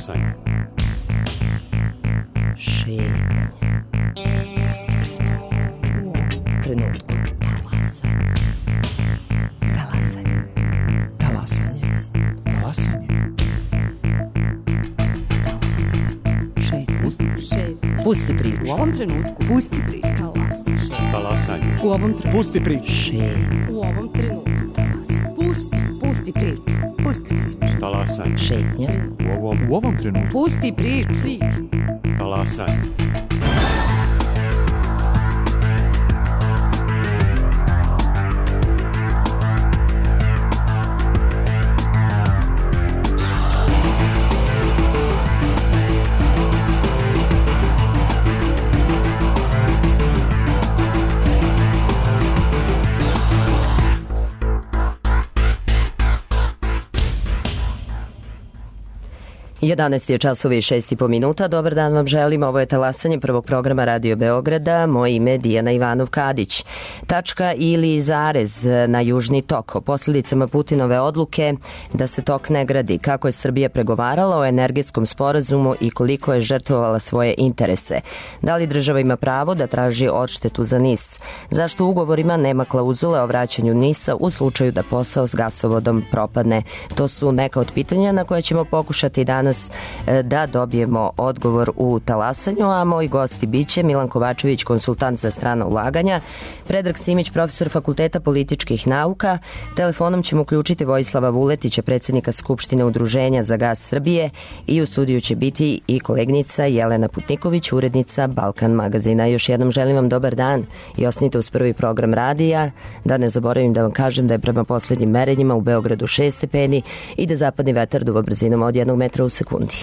Talasanje. Šetnje. Pusti priču. U ovom trenutku. Talasanje. Talasanje. Talasanje. Pusti priču. U ovom trenutku. Pusti priču. Talasanje. U ovom trenutku. Pusti priču. U ovom trenutku. Pusti priču. Pusti priču. Talasanje. Šetnja. U ovom trenutku. Pusti priču. Talasanje. Jedanaest je časova i 6,5 minuta. Dobar dan vam želim. Ovo je Talasanje prvog programa Radio Beograda. Moje ime je Dijana Ivanov-Kadić. Tačka ili zarez na Južni tok. O posljedicama Putinove odluke da se tok ne gradi. Kako je Srbija pregovarala o energetskom sporazumu i koliko je žrtvovala svoje interese. Da li država ima pravo da traži odštetu za NIS? Zašto u ugovorima nema klauzule o vraćanju NIS-a u slučaju da posao s gasovodom propadne? To su neka od pitanja na koje ćemo pokušati danas da dobijemo odgovor u Talasanju, a moji gosti biće Milan Kovačević, konsultant za strana ulaganja, Predrag Simić, profesor Fakulteta političkih nauka. Telefonom ćemo uključiti Vojislava Vuletića, predsjednika Skupštine Udruženja za gas Srbije, i u studiju će biti i kolegnica Jelena Putniković, urednica Balkan magazina. Još jednom želim vam dobar dan i ostanite uz prvi program radija. Da ne zaboravim da vam kažem da je prema posljednjim merenjima u Beogradu 6 stepeni i da zapadni vetar duva brzinom od 1 metra u sekundi.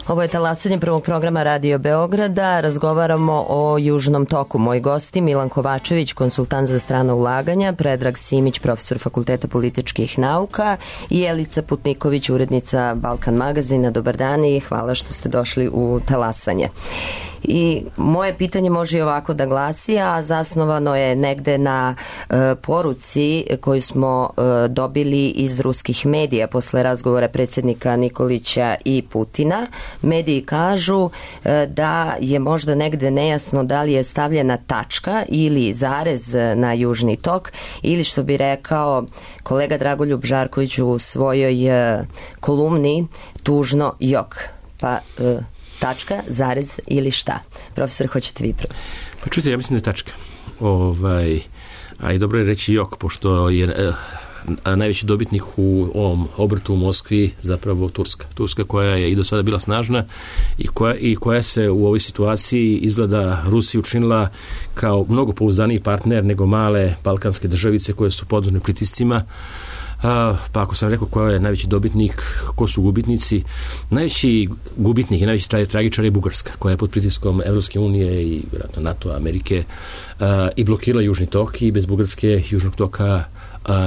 Ovo je talasanje prvog programa Radio Beograda. Razgovaramo o Južnom toku. Moji gosti Milan Kovačević, konsultant za strana ulaganja, Predrag Simić, profesor Fakulteta političkih nauka i Jelica Putniković, urednica Balkan magazina. Dobar dan i hvala što ste došli u talasanje. I moje pitanje može i ovako da glasi, a zasnovano je negde na poruci koju smo dobili iz ruskih medija posle razgovora predsjednika Nikolića i Putina. Mediji kažu da je možda negde nejasno da li je stavljena tačka ili zarez na Južni tok ili, što bi rekao kolega Dragoljub Žarković u svojoj kolumni, tužno jok. Pa tačka, zarez ili šta? Profesor, hoćete vi prvo? Pa čujte, ja mislim da je tačka. A i dobro je reći jok, pošto je najveći dobitnik u ovom obrtu u Moskvi zapravo Turska. Turska koja je i do sada bila snažna i koja se u ovoj situaciji izgleda Rusiji učinila kao mnogo pouzdaniji partner nego male balkanske državice koje su podvrgnute pritiscima. Pa ako sam rekao ko je najveći dobitnik, ko su gubitnici, najveći gubitnik i najveći tragičar je Bugarska, koja je pod pritiskom Evropske unije i vjerojatno NATO, Amerike i blokirala Južni tok i bez Bugarske Južnog toka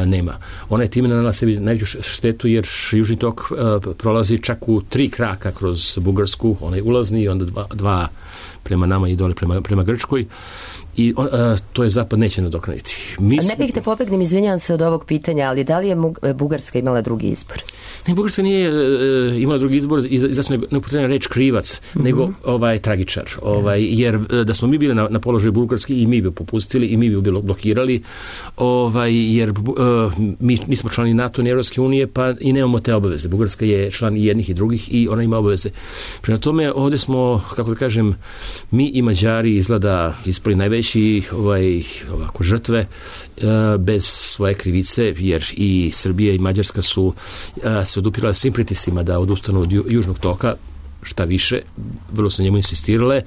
nema. Ona je time nanela sebi najveću štetu jer Južni tok prolazi čak u 3 kraka kroz Bugarsku, onaj ulazni i onda dva prema nama i dole prema Grčkoj. I to je Zapad neće nadoknaditi. Ne bih te pobegnem, izvinjavam se od ovog pitanja, ali da li je Bugarska imala drugi izbor? Ne, Bugarska nije imala drugi izbor, zato ne upotrebljena reč krivac, nego tragičar. Jer da smo mi bili na položaju Bugarske i mi bi popustili i mi bi bilo blokirali, jer mi smo člani NATO i Evropske unije, pa i nemamo te obaveze. Bugarska je član i jednih i drugih i ona ima obaveze. Prema tome, ovdje smo, kako da kažem, mi i Mađari izgleda ispali najveći ovako žrtve bez svoje krivice, jer i Srbija i Mađarska su se odupirale svim pritiscima da odustanu od Južnog toka, šta više, vrlo su njemu insistirale,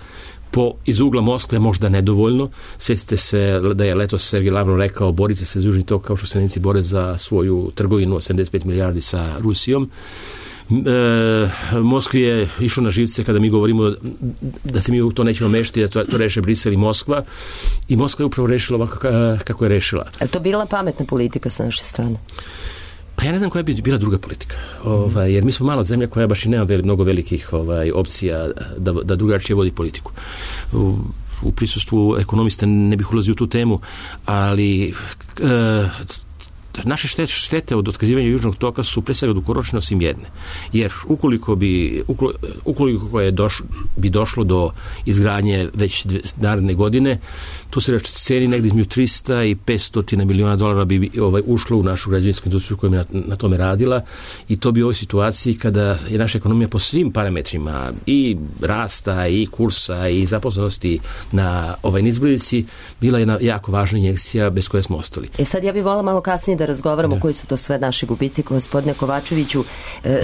iz ugla Moskve možda nedovoljno. Sjetite se da je letos Sergej Lavrov rekao borite se za Južni tok kao što se Nemci bore za svoju trgovinu od 75 milijardi sa Rusijom. Moskvi je išlo na živce kada mi govorimo da se mi u to nećemo mešati, da to reše Brisel i Moskva, i Moskva je upravo rešila ovako kako je rešila. Je to bila pametna politika sa naše strane? Pa ja ne znam koja bi bila druga politika, jer mi smo mala zemlja koja baš i nema mnogo velikih opcija da drugačije vodi politiku. U prisustvu ekonomista ne bih ulazio u tu temu, ali naše štete od otkazivanja Južnog toka su pre svega dugoročne osim jedne. Jer ukoliko bi došlo do izgradnje već naredne godine, tu se ceni negdje između 300 i 500 miliona dolara bi ušlo u našu građevinsku industriju koja je na tome radila, i to bi u ovoj situaciji kada je naša ekonomija po svim parametrima i rasta i kursa i zaposlenosti na nizbrdici bila jedna jako važna injekcija bez koje smo ostali. Sad ja bih volila malo kasnije da razgovaramo koji su to sve naši gubici. Gospodine Kovačeviću,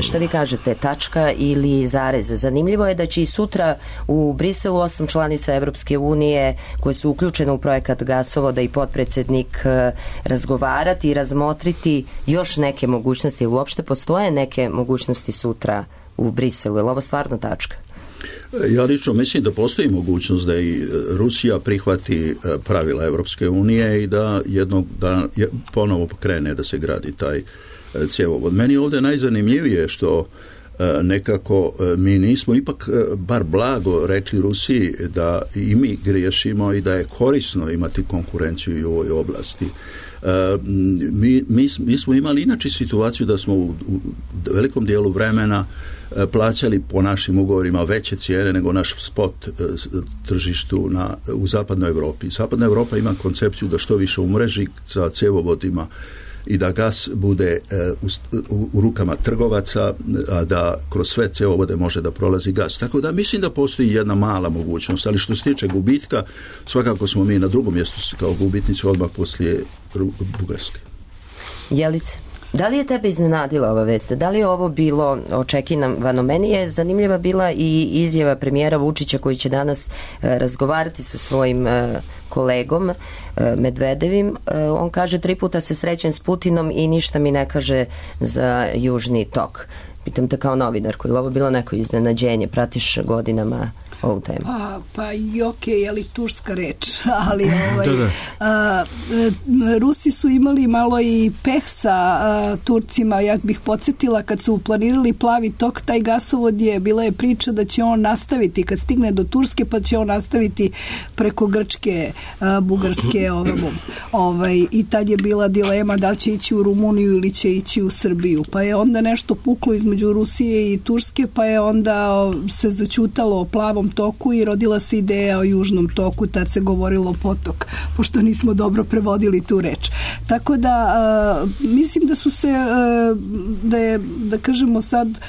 šta vi kažete, tačka ili zarez? Zanimljivo je da će i sutra u Briselu 8 članica Evropske unije koje su uključene u projekat gasovoda i potpredsjednik razgovarati i razmotriti još neke mogućnosti, ili uopšte postoje neke mogućnosti sutra u Briselu? Je li ovo stvarno tačka? Ja lično mislim da postoji mogućnost da i Rusija prihvati pravila Evropske unije i da jednog dana ponovo krene da se gradi taj cjevovod. Meni je ovdje najzanimljivije što nekako mi nismo ipak bar blago rekli Rusiji da i mi griješimo i da je korisno imati konkurenciju i u ovoj oblasti. Mi smo imali inače situaciju da smo u velikom dijelu vremena plaćali po našim ugovorima veće cijene nego naš spot tržištu u zapadnoj Europi. Zapadna Europa ima koncepciju da što više umreži sa cjevovodima i da gas bude u rukama trgovaca, a da kroz sve cjevovode može da prolazi gas. Tako da mislim da postoji jedna mala mogućnost, ali što se tiče gubitka, svakako smo mi na drugom mjestu kao gubitnici odmah poslije Bugarske. Jelice, da li je tebe iznenadila ova vest? Da li je ovo bilo očekivano? Meni je zanimljiva bila i izjava premijera Vučića koji će danas razgovarati sa svojim kolegom Medvedevim. On kaže 3 puta se srećem s Putinom i ništa mi ne kaže za Južni tok. Pitam te kao novinarku, je li ovo bilo neko iznenađenje? Pratiš godinama ovu temu? Pa i okej, je li turska reč, ali Rusi su imali malo i peh sa Turcima, ja bih podsjetila kad su planirali plavi tok, taj gasovod bila je priča da će on nastaviti kad stigne do Turske, pa će on nastaviti preko Grčke, Bugarske i tad je bila dilema da li će ići u Rumuniju ili će ići u Srbiju, pa je onda nešto puklo između Rusije i Turske, pa je onda se zaćutalo o plavom toku i rodila se ideja o južnom toku, tad se govorilo potok, pošto nismo dobro prevodili tu reč. Tako da mislim da su se da kažemo sad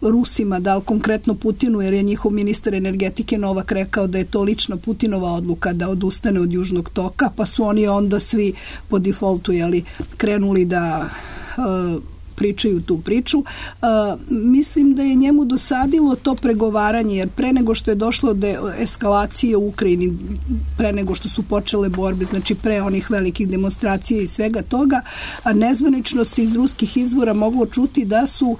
Rusima, da li konkretno Putinu, jer je njihov ministar energetike Novak rekao da je to lična Putinova odluka da odustane od južnog toka, pa su oni onda svi po defaultu krenuli da pričaju tu priču. Mislim da je njemu dosadilo to pregovaranje, jer pre nego što je došlo do eskalacije u Ukrajini, pre nego što su počele borbe, znači pre onih velikih demonstracija i svega toga, nezvanično se iz ruskih izvora moglo čuti da su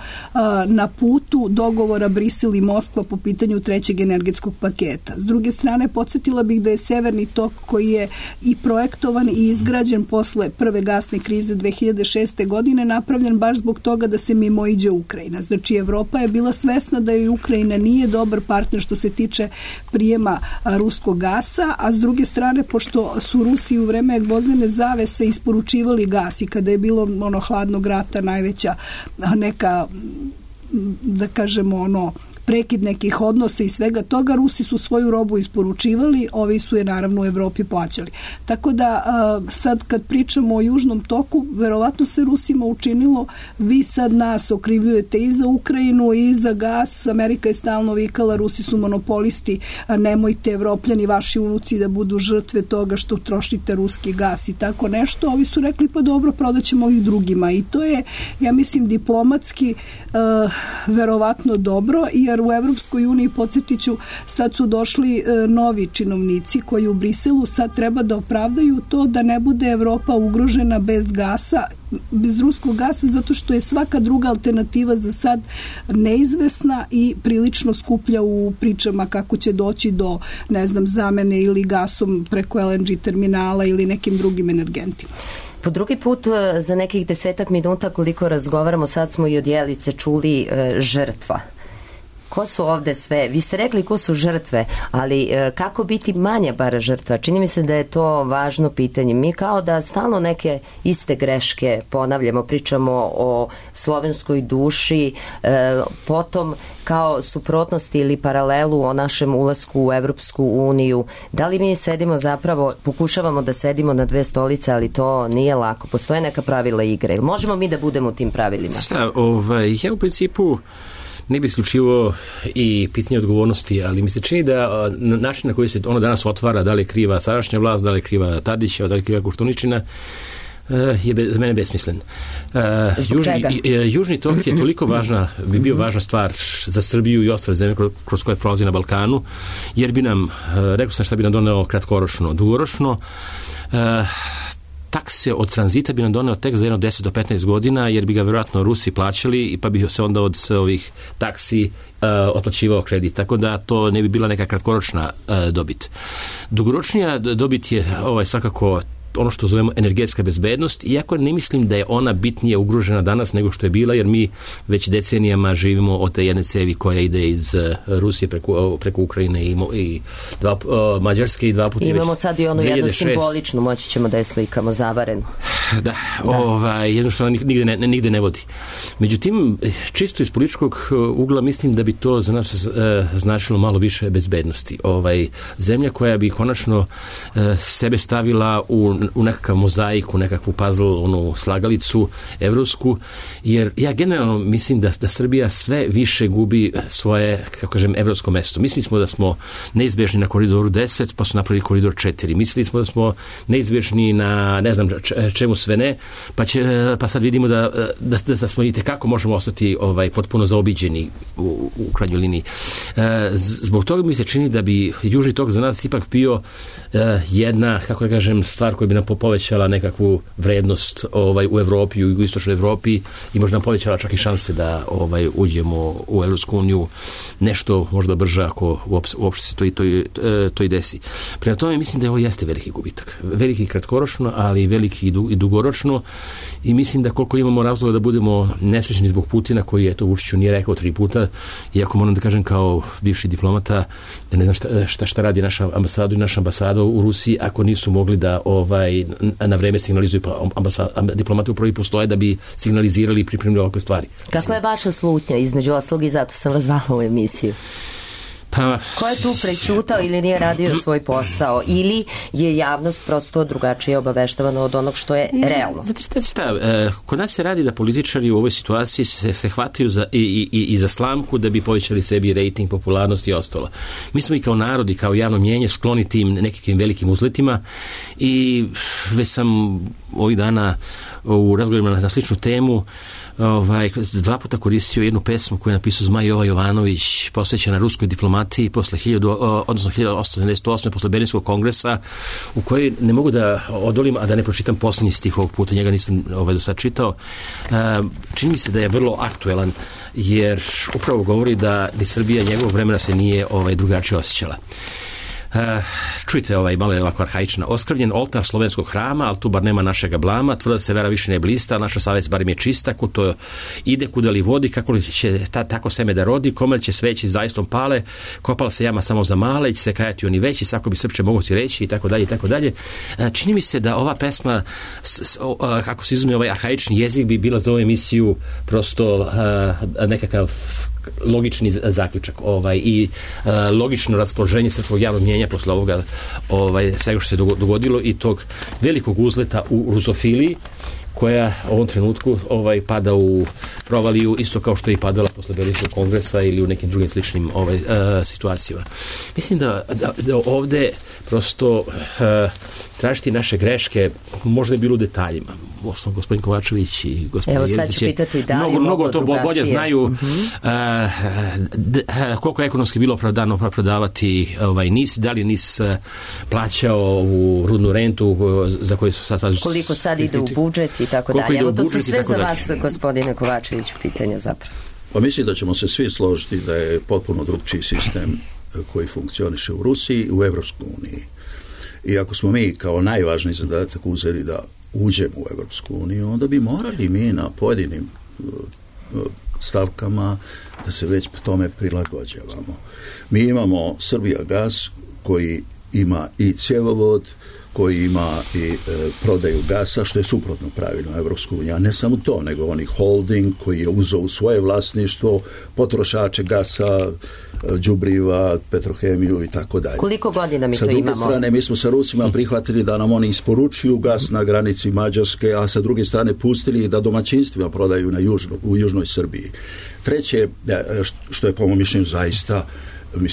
na putu dogovora Brisel i Moskva po pitanju trećeg energetskog paketa. S druge strane, podsjetila bih da je Severni tok, koji je i projektovan i izgrađen posle prve gasne krize 2006. godine, napravljen baš zbog toga da se mimoiđe Ukrajina. Znači, Evropa je bila svesna da joj Ukrajina nije dobar partner što se tiče prijema ruskog gasa, a s druge strane, pošto su Rusi u vreme gvozdene zavese isporučivali gas i kada je bilo hladnog rata najveća neka, da kažemo, prekid nekih odnosa i svega toga, Rusi su svoju robu isporučivali, ovi su je naravno u Evropi plaćali. Tako da sad kad pričamo o južnom toku, verovatno se Rusima učinilo, vi sad nas okrivljujete i za Ukrajinu i za gas, Amerika je stalno vikala, Rusi su monopolisti, nemojte Evropljani, vaši unuci da budu žrtve toga što trošite ruski gas i tako nešto. Ovi su rekli, pa dobro, prodaćemo ovih drugima, i to je, ja mislim, diplomatski verovatno dobro, jer u Evropskoj uniji, podsjetiću, sad su došli novi činovnici koji u Briselu sad treba da opravdaju to da ne bude Evropa ugrožena bez gasa, bez ruskog gasa, zato što je svaka druga alternativa za sad neizvesna i prilično skuplja u pričama kako će doći do, ne znam, zamene ili gasom preko LNG terminala ili nekim drugim energentima. Po drugi put za nekih 10 minuta koliko razgovaramo, sad smo i od Jelice čuli žrtva. Ko su ovde sve? Vi ste rekli ko su žrtve, ali kako biti manja bar žrtva? Čini mi se da je to važno pitanje. Mi kao da stalno neke iste greške ponavljamo, pričamo o slovenskoj duši, potom kao suprotnosti ili paralelu o našem ulasku u Evropsku uniju. Da li mi sedimo zapravo, pokušavamo da sedimo na dve stolice, ali to nije lako. Postoje neka pravila igre. Možemo mi da budemo u tim pravilima? Ja u principu ne bi isključivo i pitanje odgovornosti, ali mi se čini da način na koji se ono danas otvara, da li je kriva sadašnja vlast, da li je kriva Tadića, da li je kriva Koštuničina, je za mene besmislen. Južni tok je toliko bi bio važna stvar za Srbiju i ostale zemlje kroz koje prolazi na Balkanu, jer bi nam, rekao sam šta bi nam doneo kratkoročno, dugoročno, takse od tranzita bi nam doneo tek za jedno 10 do 15 godina, jer bi ga vjerojatno Rusi plaćali i pa bi se onda od ovih taksi otplaćivao kredit. Tako da to ne bi bila neka kratkoročna dobit. Dugoročnija dobit je svakako ono što zovemo energetska bezbednost, iako ne mislim da je ona bitnije ugrožena danas nego što je bila, jer mi već decenijama živimo od te jedne cevi koja ide iz Rusije preko Ukrajine i Mađarske i dva puta. Imamo sad i onu jednu simboličnu, moći ćemo da je slikamo zavarenu. Da. Jedno što ona nigde ne vodi. Međutim, čisto iz političkog ugla mislim da bi to za nas značilo malo više bezbednosti. Zemlja koja bi konačno sebe stavila u nekakav mozaik, u nekakvu puzzle, slagalicu evropsku, jer ja generalno mislim da Srbija sve više gubi svoje, kako kažem, evropsko mesto. Mislili smo da smo neizbežni na koridoru 10, pa su napravili koridor 4. Mislili smo da smo neizbežni na ne znam čemu sve ne, pa sad vidimo da smo i tekako možemo ostati potpuno zaobiđeni u krajnjoj liniji. Zbog toga mi se čini da bi Južni tok za nas ipak bio jedna, kako da kažem, stvar koja bi nam povećala nekakvu vrednost u Evropi, u jugoistočnoj Evropi i možda nam povećala čak i šanse da uđemo u Evropsku uniju nešto možda brže ako uopšte se to i desi. Prema tome mislim da ovo jeste veliki gubitak. Veliki kratkoročno, ali veliki i dugoročno i mislim da koliko imamo razloga da budemo nesrećni zbog Putina koji je to Vučiću nije rekao 3 puta, iako moram da kažem kao bivši diplomata da ne znam šta radi naša ambasada i naša ambasada u Rusiji ako nisu mogli da na vreme signalizuju, pa diplomati upravo i postoje da bi signalizirali i pripremili ovakve stvari. Kakva je vaša slutnja između ostalog i zato sam vas zvala u emisiju? Ko je tu prećutao ili nije radio svoj posao ili je javnost prosto drugačije obaveštavana od onog što je realno? Znate šta, kod nas se radi da političari u ovoj situaciji se hvataju i za slamku da bi povećali sebi rejting, popularnost i ostalo. Mi smo i kao narod i kao javno mnjenje skloni tim nekakvim velikim uzletima i već sam ovih dana u razgovorima na sličnu temu 2 puta koristio jednu pesmu koju je napisao Zmaj Jova Jovanović, posvećena ruskoj diplomatiji posle 1878. posle Berlinskog kongresa, u kojoj ne mogu da odolim, a da ne pročitam poslednji stih ovog puta, njega nisam do sad čitao. Čini mi se da je vrlo aktuelan, jer upravo govori da ni Srbija njegovog vremena se nije drugačije osjećala. Čujte, malo je ovako arhaična. Oskrvljen oltar slovenskog hrama, ali tu bar nema našega blama, tvrda se vera više ne blista, naša savest barem je čista, kud to ide, kuda li vodi, kako li će tako seme da rodi, kome će sveći zaistom pale, kopala se jama samo za male, će se kajati oni veći, sako bi srpče mogu ti reći, i tako dalje, i tako dalje. Čini mi se da ova pesma, kako se izuzme ovaj arhaični jezik, bi bila za ovu emisiju prosto nekakav logični zaključak i logično raspoloženje srpskog javnog mnjenja posle ovoga svega što se dogodilo i tog velikog uzleta u rusofiliji koja u ovom trenutku pada u provaliju isto kao što je i padala posle Berlinskog kongresa ili u nekim drugim sličnim situacijama. Mislim da ovde prosto tražiti naše greške možda je bilo u detaljima. Osnovno, gospodin Kovačević i gospodin Jezdić evo sad ću pitati da li mnogo to bolje znaju koliko je ekonomski bilo opravdano opravdavati NIS, da li NIS plaćao u rudnu rentu za koju su sad koliko sad ide u budžet i tako dalje. Evo to su sve za vas, gospodine Kovačević, pitanja zapravo. Pa mislim da ćemo se svi složiti da je potpuno drugčiji sistem koji funkcioniše u Rusiji i u Evropskoj uniji. I ako smo mi kao najvažniji zadatak uzeli da uđemo u Evropsku uniju, onda bi morali mi na pojedinim stavkama da se već tome prilagođavamo. Mi imamo Srbijagas koji ima i cjevovod, koji ima i prodaju gasa, što je suprotno pravilno Evropsku uniju. A ne samo to, nego oni holding koji je uzeo u svoje vlasništvo potrošače gasa, đubriva, petrohemiju i tako dalje. Koliko godina mi to imamo? Sa druge strane, mi smo sa Rusima prihvatili da nam oni isporučuju gas na granici Mađarske, a sa druge strane pustili da domaćinstvima prodaju u južnoj Srbiji. Treće, što je po mom mišljenju zaista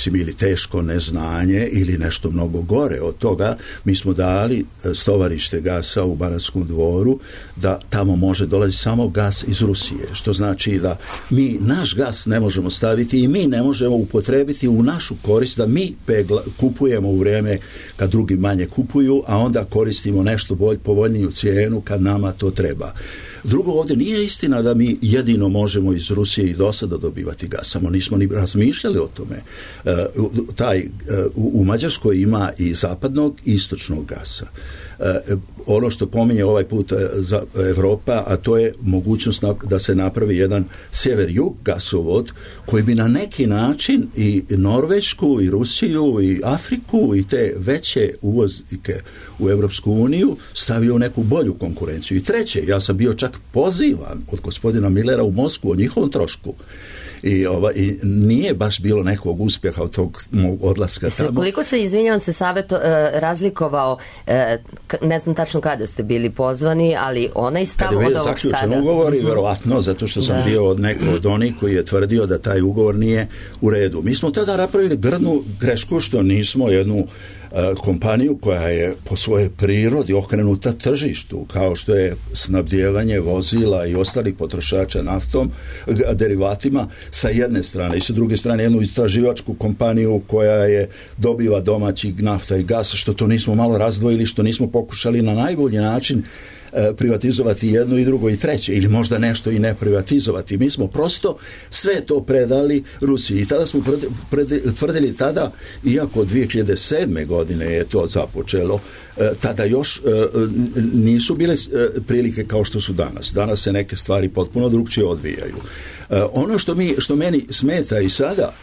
ili teško neznanje ili nešto mnogo gore od toga, mi smo dali stovarište gasa u Banatskom Dvoru da tamo može dolaziti samo gas iz Rusije, što znači da mi naš gas ne možemo staviti i mi ne možemo upotrebiti u našu korist, da mi kupujemo u vrijeme kad drugi manje kupuju, a onda koristimo nešto povoljniju cijenu kad nama to treba. Drugo, ovdje nije istina da mi jedino možemo iz Rusije i do sada dobivati gas, samo nismo ni razmišljali o tome. U Mađarskoj ima i zapadnog i istočnog gasa. Ono što pominje ovaj put za Evropa, a to je mogućnost da se napravi jedan sjever-jug gasovod koji bi na neki način i Norvešku i Rusiju i Afriku i te veće uvoznike u Evropsku uniju stavio u neku bolju konkurenciju. I treće, ja sam bio čak pozivan od gospodina Millera u Moskvu o njihovom trošku. I nije baš bilo nekog uspjeha od tog odlaska tamo. Koliko se, izvinjavam se, savjet razlikovao, ne znam tačno kada ste bili pozvani, ali onaj stav od ovog sada. Kada je zaključen ugovor i verovatno, zato što sam bio od onih koji je tvrdio da taj ugovor nije u redu. Mi smo tada napravili grdnu grešku što nismo jednu kompaniju koja je po svojoj prirodi okrenuta tržištu, kao što je snabdijevanje vozila i ostalih potrošača naftom, derivatima sa jedne strane, i sa druge strane jednu istraživačku kompaniju koja dobiva domaći nafta i gas, što to nismo malo razdvojili, što nismo pokušali na najbolji način privatizovati jedno i drugo i treće, ili možda nešto i ne privatizovati. Mi smo prosto sve to predali Rusiji i tada smo tvrdili tada, iako 2007. godine je to započelo, tada još nisu bile prilike kao što su danas. Danas se neke stvari potpuno drugčije odvijaju. Ono što meni smeta i sada,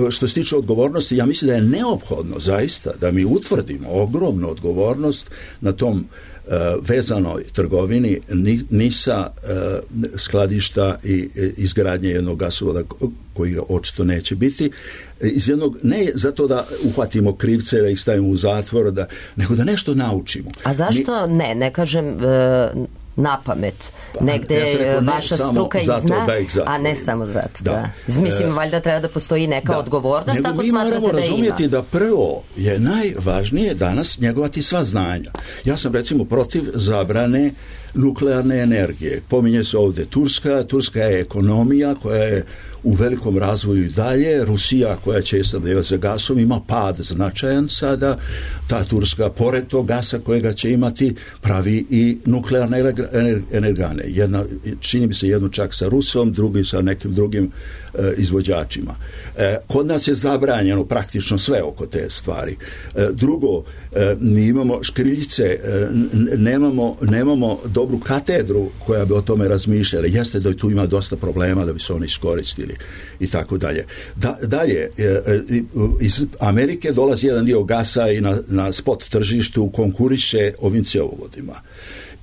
što se tiče odgovornosti, ja mislim da je neophodno zaista da mi utvrdimo ogromnu odgovornost na tom vezanoj trgovini NIS-a, skladišta i izgradnje jednog gasovoda koji očito neće biti, iz jednog, ne zato da uhvatimo krivce, da ih stavimo u zatvor, nego da nešto naučimo. A zašto ne kažem na pamet, negde vaša struka i zna, a ne samo zato. Da. Mislim, valjda treba da postoji neka odgovornost, ako smatrate da ima. Mi moramo razumjeti da prvo je najvažnije danas njegovati sva znanja. Ja sam recimo protiv zabrane nuklearne energije. Pominje se ovdje Turska je ekonomija koja je u velikom razvoju i dalje. Rusija koja će snabdijevati sa gasom ima pad značajan sada. Ta Turska, pored tog gasa kojega će imati, pravi i nuklearne energane. Čini mi se jednu čak sa Rusom, drugi sa nekim drugim izvođačima. Kod nas je zabranjeno praktično sve oko te stvari. Drugo, mi imamo škriljice, nemamo dobru katedru koja bi o tome razmišljala. Jeste da tu ima dosta problema da bi se oni iskoristili i tako dalje. Dalje, iz Amerike dolazi jedan dio gasa i na spot tržištu konkuriše ovim cjevovodima.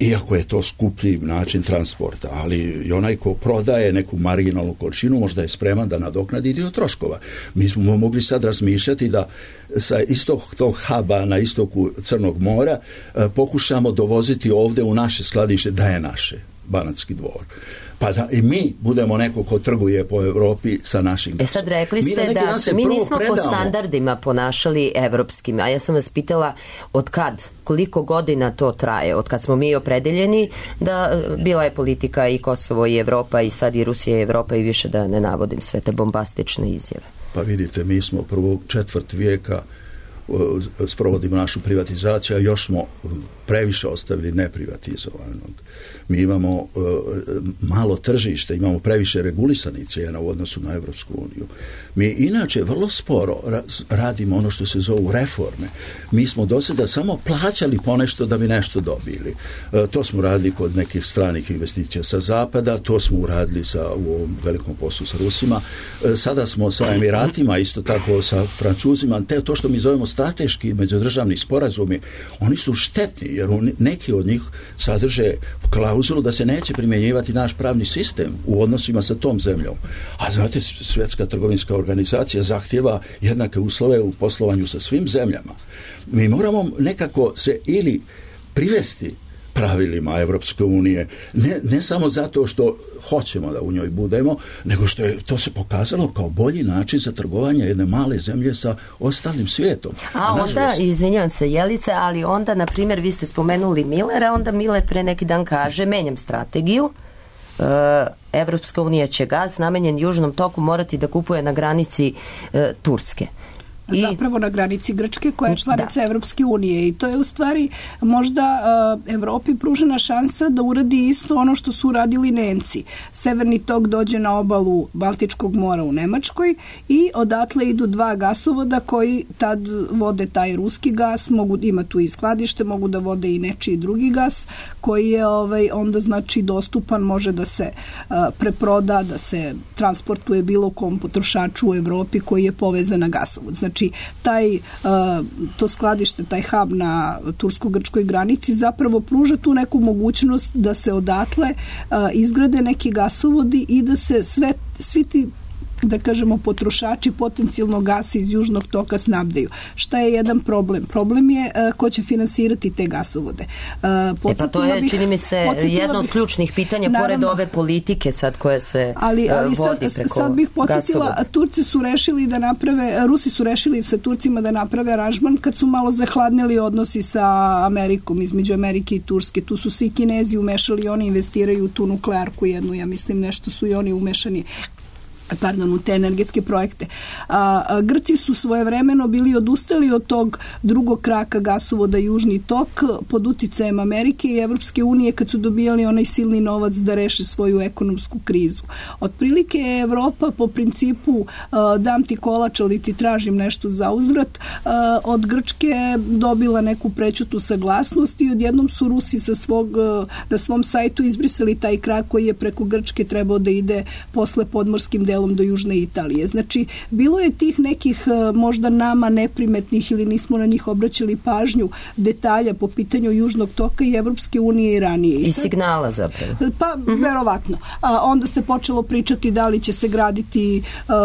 Iako je to skuplji način transporta, ali i onaj ko prodaje neku marginalnu količinu možda je spreman da nadoknadi dio troškova. Mi smo mogli sad razmišljati da sa istog tog huba na istoku Crnog mora pokušamo dovoziti ovdje u naše skladište, da je naše, Banatski Dvor. Pa da i mi budemo neko ko trguje po Evropi sa našim gasom. Sad rekli ste da se mi nismo po standardima ponašali evropskim, a ja sam vas pitala od kad, koliko godina to traje, od kad smo mi opredeljeni da bila je politika i Kosovo i Evropa i sad i Rusija i Evropa i više da ne navodim sve te bombastične izjave. Pa vidite, mi smo prvog četvrt vijeka sprovodimo našu privatizaciju, a još smo previše ostavili neprivatizovanog. Mi imamo malo tržište, imamo previše regulisanih cijena u odnosu na Evropsku uniju. Mi inače vrlo sporo radimo ono što se zovu reforme. Mi smo do sada samo plaćali ponešto da bi nešto dobili. To smo radili kod nekih stranih investicija sa zapada, to smo uradili u ovom velikom poslu sa Rusima. Sada smo sa Emiratima, isto tako sa Francuzima. To što mi zovemo strateški međudržavni sporazumi, oni su štetni, jer neki od njih sadrže klauzulu da se neće primjenjivati naš pravni sistem u odnosima sa tom zemljom. A znate, Svjetska trgovinska organizacija zahtjeva jednake uslove u poslovanju sa svim zemljama. Mi moramo nekako se ili privesti pravilima Evropske unije, ne samo zato što hoćemo da u njoj budemo, nego što je to se pokazalo kao bolji način za trgovanje jedne male zemlje sa ostalim svijetom. A onda, izvinjavam se Jelice, ali onda, na primjer, vi ste spomenuli Millera, onda Miller pre neki dan kaže, menjam strategiju, Evropska unija će gas namenjen Južnom toku morati da kupuje na granici Turske. Zapravo na granici Grčke koja je članica Evropske unije i to je u stvari možda Evropi pružena šansa da uradi isto ono što su uradili Nemci. Severni tok dođe na obalu Baltičkog mora u Nemačkoj i odatle idu dva gasovoda koji tad vode taj ruski gas, mogu ima tu i skladište, mogu da vode i nečiji drugi gas koji je onda znači dostupan, može da se preproda, da se transportuje bilo kom potrošaču u Evropi koji je povezan na gasovod. Znači to skladište, taj hub na tursko-grčkoj granici zapravo pruža tu neku mogućnost da se odatle izgrade neki gasovodi i da se svi ti da kažemo, potrošači potencijalno gasa iz Južnog toka snabdeju. Šta je jedan problem? Problem je ko će finansirati te gasovode. Pa to je, čini mi se, jedno od ključnih pitanja, pored ove politike sad koja se vodi preko sad bih podsjetila, gasovoda. Turci su rešili da naprave, Rusi su rešili sa Turcima da naprave aranžman kad su malo zahladnili odnosi sa Amerikom, između Amerike i Turske. Tu su se i Kinezi umešali, oni investiraju u tu nuklearku jednu, ja mislim nešto su i oni umešani u te energetske projekte. Grci su svojevremeno bili odustali od tog drugog kraka gasovoda Južni tok pod uticajem Amerike i Evropske unije kad su dobijali onaj silni novac da reše svoju ekonomsku krizu. Otprilike je Evropa po principu dam ti kolač, ali ti tražim nešto za uzvrat, od Grčke dobila neku prećutnu saglasnost i odjednom su Rusi na svom sajtu izbrisali taj krak koji je preko Grčke trebao da ide posle podmorskim delom do Južne Italije. Znači, bilo je tih nekih možda nama neprimetnih ili nismo na njih obraćali pažnju detalja po pitanju Južnog toka i Evropske unije i ranije. I signala zapravo. Pa, verovatno. Onda se počelo pričati da li će se graditi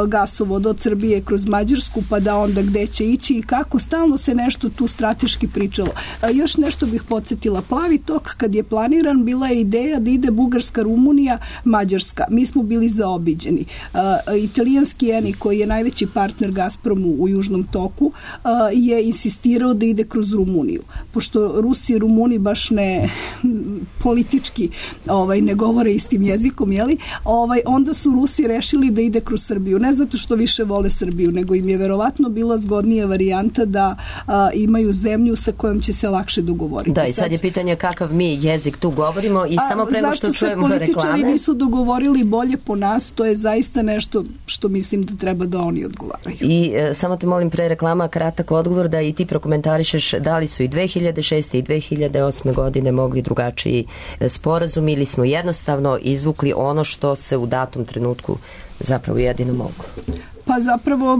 gasovod od Srbije kroz Mađarsku, pa da onda gde će ići i kako. Stalno se nešto tu strateški pričalo. Još nešto bih podsjetila. Plavi tok, kad je planiran, bila je ideja da ide Bugarska, Rumunija, Mađarska. Mi smo bili zaobiđeni. Italijanski Eni, koji je najveći partner Gazpromu u Južnom toku, je insistirao da ide kroz Rumuniju. Pošto Rusi i Rumuni baš ne politički ne govore istim jezikom, onda su Rusi rešili da ide kroz Srbiju. Ne zato što više vole Srbiju, nego im je verovatno bila zgodnija varijanta da imaju zemlju sa kojom će se lakše dogovoriti. Da, i sad je pitanje kakav mi jezik tu govorimo i samo prema što čujemo reklame. Zašto se političari nisu dogovorili bolje po nas, to je zaista nešto što mislim da treba da oni odgovaraju. I samo te molim pre reklama kratak odgovor da i ti prokomentarišeš da li su i 2006. i 2008. godine mogli drugačiji sporazum ili smo jednostavno izvukli ono što se u datom trenutku zapravo jedino moglo. Pa zapravo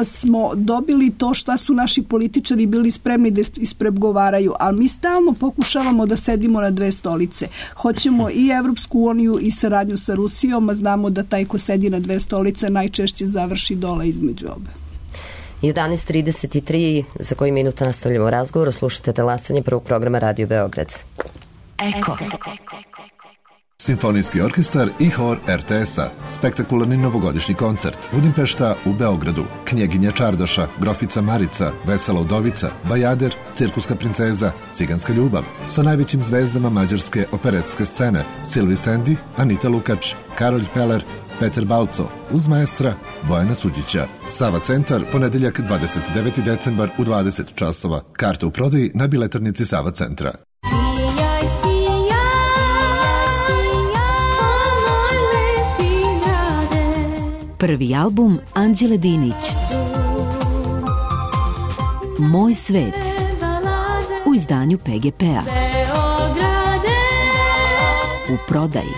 smo dobili to šta su naši političari bili spremni da ispregovaraju, ali mi stalno pokušavamo da sedimo na dve stolice. Hoćemo i Evropsku uniju i saradnju sa Rusijom, a znamo da taj ko sedi na dve stolice najčešće završi dole između obe. 11:33, za koji minuta nastavljamo razgovor, slušate talasanje prvog programa Radio Beograd. Eko. Simfonijski orkestar i hor RTS-a. Spektakularni novogodišnji koncert. Budimpešta u Beogradu. Knjeginja Čardaša, Grofica Marica, Vesela udovica, Bajader, Cirkuska princeza, Ciganska ljubav. Sa najvećim zvezdama mađarske operetske scene. Silvi Sendi, Anita Lukač, Karolj Peler, Peter Balco, uz maestra Bojana Suđića. Sava centar, ponedeljak 29. decembar u 20 časova. Karte u prodaji na biletarnici Sava centra. Prvi album Anđele Dinić. Moj svet. U izdanju PGP-a. U prodaji.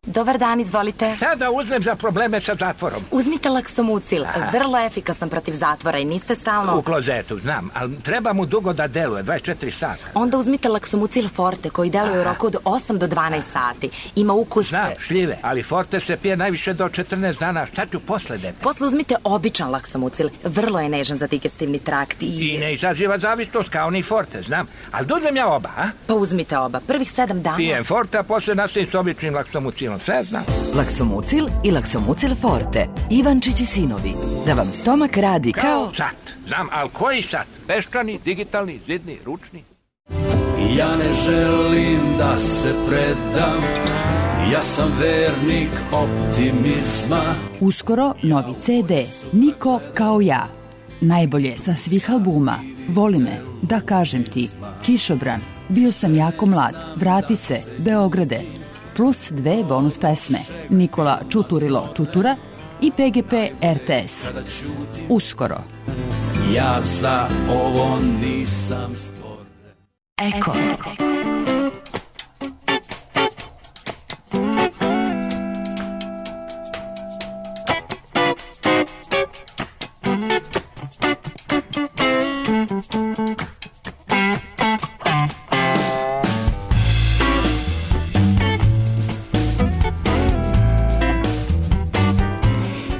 Dobar dan, izvolite. Šta da uzmem za probleme sa zatvorom? Uzmite Laksomucil, vrlo efikasan protiv zatvora i niste stalno... U klozetu, znam, ali treba mu dugo da deluje, 24 sata. Onda uzmite Laksomucil Forte, koji deluje u roku od 8 do 12 sati. Ima ukus... Znam, šljive, ali Forte se pije najviše do 14 dana. Šta ću posle, dete? Posle uzmite običan Laksomucil, vrlo je nežan za digestivni trakt i ne izaziva zavisnost kao ni Forte, znam. Ali da uzmem ja oba, a? Pa uzmite oba, prvih 7 dana. Pijem Forte, a posle nastavim s običnim Laksomucilom. Sve znam. Laksomucil i Laksomucil Forte. Ivančić i sinovi. Da vam stomak radi kao... sat. Znam, ali koji sat? Peščani, digitalni, zidni, ručni? Ja ne želim da se predam. Ja sam vernik optimizma. Uskoro novi CD. Niko kao ja. Najbolje sa svih albuma. Voli me, da kažem ti. Kišobran. Bio sam jako mlad. Vrati se, Beograde. Plus 2 bonus pesme. Nikola Čuturilo Čutura i PGP RTS. Uskoro. Ja za ovo nisam stvoren. Eko.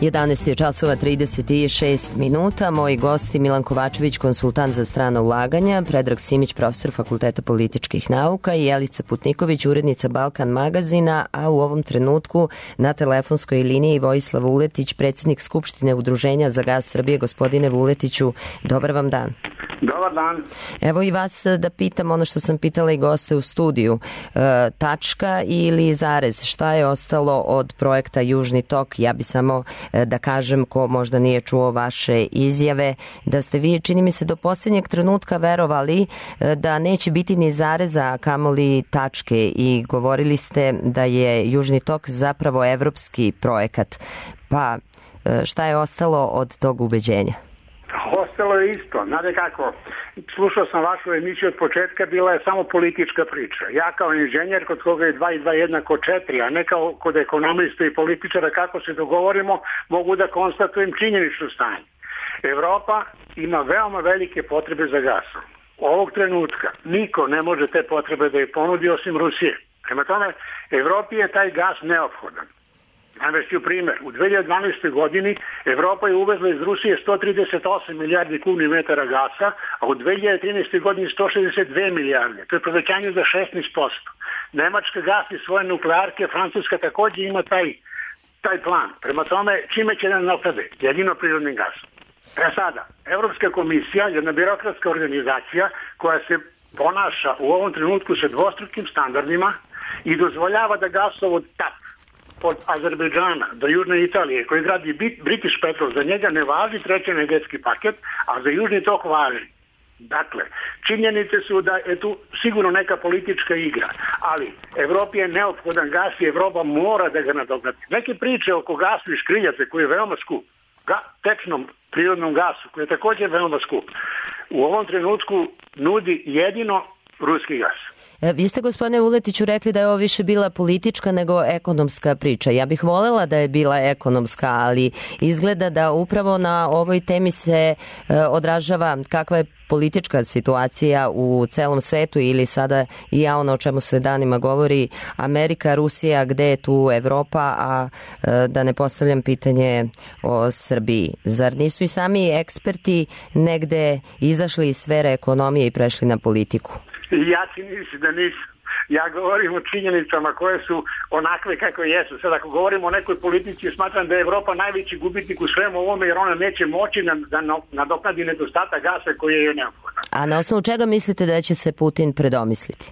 11 je časova 36 minuta. Moji gosti Milan Kovačević, konsultant za strana ulaganja, Predrag Simić, profesor Fakulteta političkih nauka i Jelica Putniković, urednica Balkan magazina, a u ovom trenutku na telefonskoj liniji Vojislav Vuletić, predsjednik Skupštine Udruženja za gas Srbije. Gospodine Vuletiću, dobar vam dan. Dobar dan. Evo i vas da pitam ono što sam pitala i goste u studiju. Tačka ili zarez? Šta je ostalo od projekta Južni tok? Ja bi samo da kažem, ko možda nije čuo vaše izjave, da ste vi, čini mi se, do posljednjeg trenutka verovali da neće biti ni zareza, a kamoli tačke, i govorili ste da je Južni tok zapravo evropski projekat. Pa šta je ostalo od tog ubeđenja? Ostalo je isto. Znate kako, slušao sam vašu emisiju od početka, bila je samo politička priča. Ja kao inženjer, kod koga je 2 i 2 jednako 4, a ne kao kod ekonomista i političara, kako se dogovorimo, mogu da konstatujem činjenično stanje. Evropa ima veoma velike potrebe za gasom. Ovog trenutka niko ne može te potrebe da je ponudi osim Rusije. Prema tome, Evropi je taj gas neophodan. Navešću primjer, u 2012. godini Evropa je uvezla iz Rusije 138 milijardi kubnih metara gasa, a u 2013. godini 162 milijarde. To je povećanje za 16%. Nemačka gasi svoje nuklearke, Francuska također ima taj plan. Prema tome, čime će nam naprede? Jedino prirodnim gasom. Sada, Evropska komisija, jedna birokratska organizacija koja se ponaša u ovom trenutku sa dvostrukim standardima i dozvoljava da gasovod TAP od Azerbejdžana do Južne Italije, koji gradi British Petrol, za njega ne važi treći energetski paket, a za Južni tok važi. Dakle, činjenice su da je tu sigurno neka politička igra, ali Evropi je neophodan gas i Evropa mora da ga nadoknadi. Neke priče oko gasu iz škriljace, koji je veoma skup, tečnom prirodnom gasu, koji je također veoma skup, u ovom trenutku nudi jedino ruski gas. Vi ste, gospodine Vuletiću, rekli da je ovo više bila politička nego ekonomska priča. Ja bih voljela da je bila ekonomska, ali izgleda da upravo na ovoj temi se odražava kakva je politička situacija u celom svetu, ili sada i ja ono o čemu se danima govori, Amerika, Rusija, gde je tu Evropa, a da ne postavljam pitanje o Srbiji. Zar nisu i sami eksperti negde izašli iz sfere ekonomije i prešli na politiku? Ja ti mislim da nisam. Ja govorim o činjenicama koje su onakve kako jesu. Sad ako govorimo o nekoj politici, smatram da je Evropa najveći gubitnik u svemu ovome, jer ona neće moći da nadoknadi nedostatak gasa koji je neophodan. A na osnovu čega mislite da će se Putin predomisliti?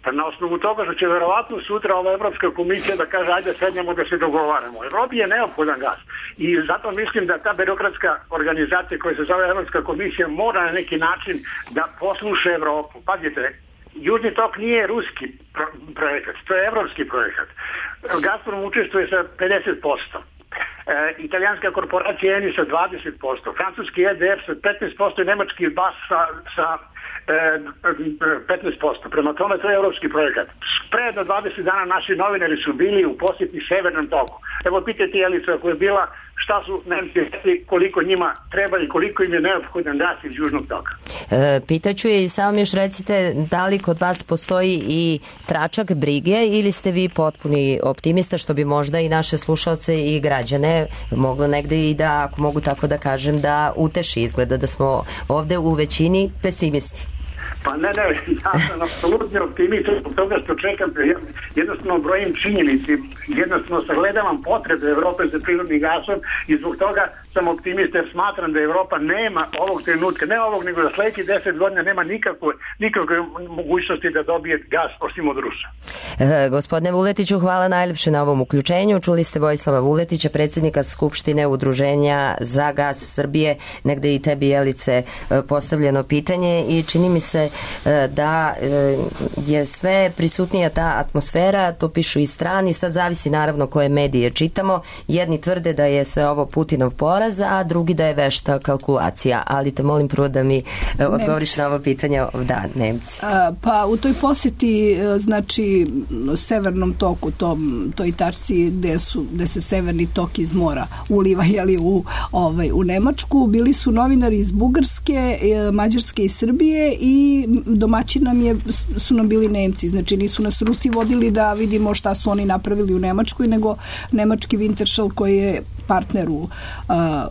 Pa na osnovu toga što će verovatno sutra ova Evropska komisija da kaže ajde sednemo da se dogovaramo. Evropi je neophodan gas i zato mislim da ta birokratska organizacija koja se zove Evropska komisija mora na neki način da posluša Evropu. Pazite, Južni tok nije ruski projekat, to je evropski projekat. Gazprom učestvuje sa 50%. Italijanska korporacija Eni sa 20%, francuski EDF sa 15% i nemački BAS sa 15%. Prema tome, to je evropski projekat. Pre do 20 dana naši novinari su bili u posjeti Severnom toku. Evo, pitajte Jelicu ako je bila, šta su Nemci rekli, koliko njima treba i koliko im je neophodan gas iz Južnog toka. Pitaću je i samo mi još recite, da li kod vas postoji i tračak brige ili ste vi potpuni optimista, što bi možda i naše slušalce i građane moglo negde i da, ako mogu tako da kažem, da uteši. Izgleda da smo ovde u većini pesimisti. Pa ne, ja sam apsolutno optimist zbog toga što čekam, jednostavno brojim činjenici, jednostavno sagledavam potrebe Evrope za prirodnim gasom i zbog toga sam optimista jer smatram da Evropa nema ovog trenutka, ne ovog, nego za sledećih 10 godina nema nikakve mogućnosti da dobije gas osim od Rusa. Gospodine Vuletiću, hvala najlepše na ovom uključenju. Čuli ste Vojislava Vuletića, predsjednika Skupštine Udruženja za gas Srbije. Negde i tebi, Jelice, postavljeno pitanje i čini mi se da je sve prisutnija ta atmosfera, to pišu i strani, sad zavisi naravno koje medije čitamo. Jedni tvrde da je sve ovo Putinov poraz, a drugi da je vešta kalkulacija, ali te molim prvo da mi odgovoriš na ovo pitanje. Da, Nemci. Pa u toj posjeti, znači Severnom toku, toj tačci gde se Severni tok iz mora uliva u Nemačku, bili su novinari iz Bugarske, Mađarske i Srbije i domaći su nam bili Nemci. Znači nisu nas Rusi vodili da vidimo šta su oni napravili u Nemačkoj, nego nemački Wintershall koji je partner u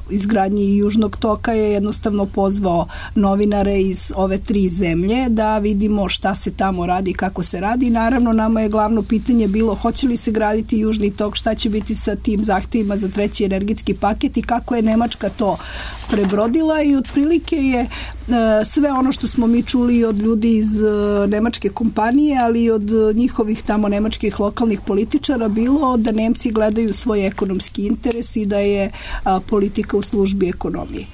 izgradnji Južnog toka, je jednostavno pozvao novinare iz ove 3 zemlje da vidimo šta se tamo radi, kako se radi. Naravno, nama je glavno pitanje bilo hoće li se graditi Južni tok, šta će biti sa tim zahtjevima za 3. energetski paket i kako je Nemačka to prebrodila, i otprilike je sve ono što smo mi čuli od ljudi iz nemačke kompanije, ali i od njihovih tamo nemačkih lokalnih političara bilo da Nemci gledaju svoj ekonomski interes i da je politika u službi ekonomije.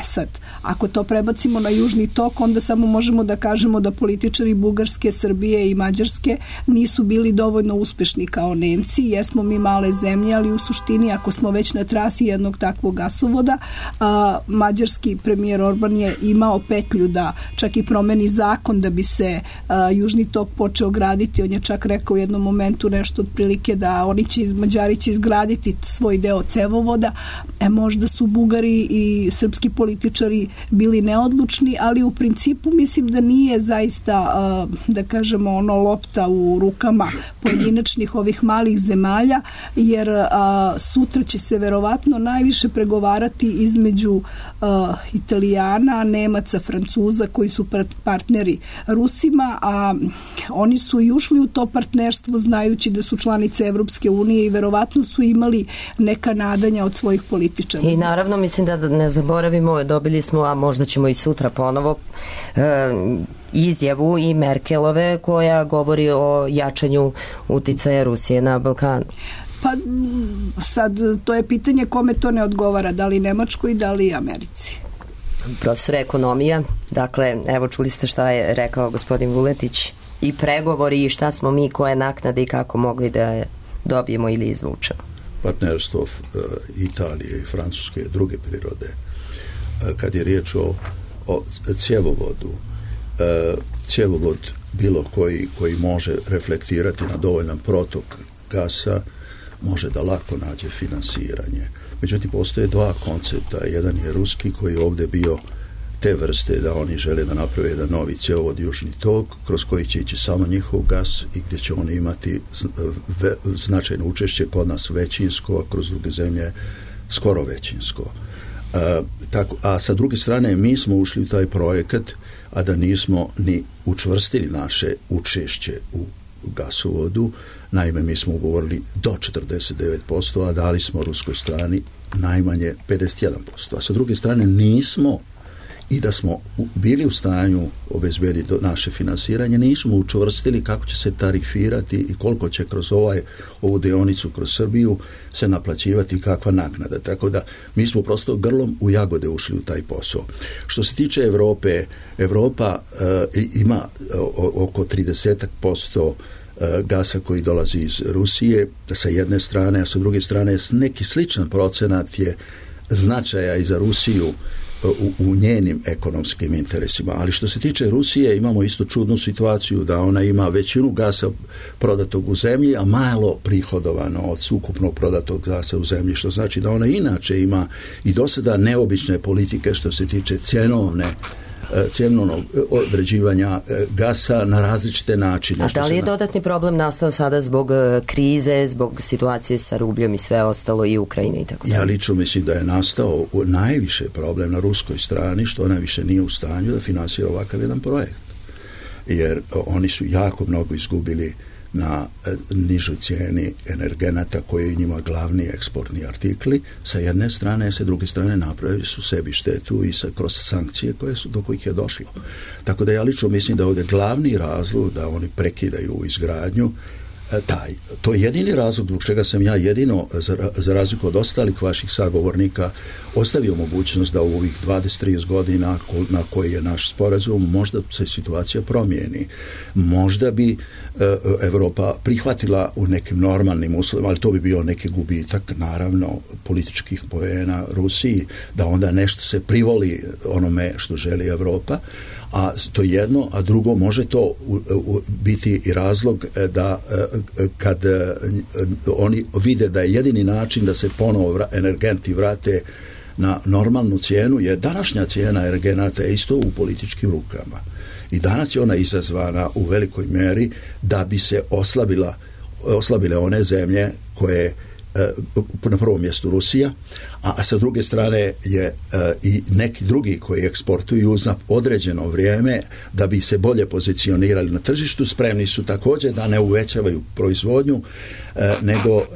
Sad, ako to prebacimo na Južni tok, onda samo možemo da kažemo da političari Bugarske, Srbije i Mađarske nisu bili dovoljno uspešni kao Nemci, jer smo mi male zemlje, ali u suštini ako smo već na trasi jednog takvog gasovoda, mađarski premijer Orban je imao petlju da čak i promeni zakon da bi se Južni tok počeo graditi. On je čak rekao u jednom momentu nešto otprilike da Mađari će izgraditi svoj deo cevovoda. Možda su Bugari i srpski političari bili neodlučni, ali u principu mislim da nije zaista, da kažemo, ono lopta u rukama pojedinačnih ovih malih zemalja, jer sutra će se verovatno najviše pregovarati između Italijana, Nemaca, Francuza koji su partneri Rusima, a oni su i ušli u to partnerstvo znajući da su članice Evropske unije i verovatno su imali neka nadanja od svojih političara. I naravno mislim da ne zaboravimo, dobili smo, a možda ćemo i sutra ponovo, izjavu i Merkelove koja govori o jačanju uticaja Rusije na Balkanu. Pa sad to je pitanje kome to ne odgovara, da li Nemačkoj, da li Americi. Profesor ekonomija, dakle, evo čuli ste šta je rekao gospodin Vuletić, i pregovori i šta smo mi, koje naknade i kako mogli da je dobijemo ili izvučemo. Partnerstvo Italije i Francuske je druge prirode. Kad je riječ o cjevovodu, cjevovod bilo koji može reflektirati na dovoljan protok gasa može da lako nađe finansiranje. Međutim, postoje 2 koncepta. Jedan je ruski koji je ovdje bio te vrste da oni žele da naprave jedan novi cjevovod Južni tok kroz koji će ići samo njihov gas i gdje će oni imati značajno učešće, kod nas većinsko, a kroz druge zemlje skoro većinsko. A sa druge strane mi smo ušli u taj projekat, a da nismo ni učvrstili naše učešće u gasovodu. Naime, mi smo ugovorili do 49%, a dali smo ruskoj strani najmanje 51%. A sa druge strane nismo, i da smo bili u stanju obezbediti naše finansiranje, nismo učvrstili kako će se tarifirati i koliko će kroz ovu deonicu kroz Srbiju se naplaćivati kakva naknada. Tako da mi smo prosto grlom u jagode ušli u taj posao. Što se tiče Evrope, Evropa ima oko 30% gasa koji dolazi iz Rusije sa jedne strane, a sa druge strane neki sličan procenat je značaja i za Rusiju u njenim ekonomskim interesima. Ali što se tiče Rusije, imamo isto čudnu situaciju da ona ima većinu gasa prodatog u zemlji, a malo prihodovano od ukupnog prodatog gasa u zemlji, što znači da ona inače ima i do sada neobične politike što se tiče cjenovnog određivanja gasa na različite načine. A da li je dodatni problem nastao sada zbog krize, zbog situacije sa rubljom i sve ostalo i Ukrajine i tako dalje? Ja lično mislim da je nastao najviše problem na ruskoj strani, što ona više nije u stanju da finansira ovakav jedan projekt. Jer oni su jako mnogo izgubili na nižoj cijeni energenata koji je njima glavni eksportni artikli sa jedne strane, a sa druge strane napravili su sebi štetu i kroz sankcije do kojih je došlo. Tako da ja lično mislim da je ovdje glavni razlog da oni prekidaju izgradnju to je jedini razlog zbog čega sam ja jedino, za razliku od ostalih vaših sagovornika, ostavio mogućnost da u ovih 20-30 godina na koji je naš sporazum možda se situacija promijeni. Možda bi Evropa prihvatila u nekim normalnim uslovima, ali to bi bio neki gubitak, naravno, političkih poena Rusiji, da onda nešto se privoli onome što želi Evropa, a to jedno, a drugo može to biti i razlog da kad oni vide da je jedini način da se ponovo energenti vrate na normalnu cijenu, je današnja cijena energenata je isto u političkim rukama. I danas je ona izazvana u velikoj meri da bi se oslabile one zemlje koje na prvom mjestu Rusija, a sa druge strane je i neki drugi koji eksportuju za određeno vrijeme da bi se bolje pozicionirali na tržištu, spremni su također da ne uvećavaju proizvodnju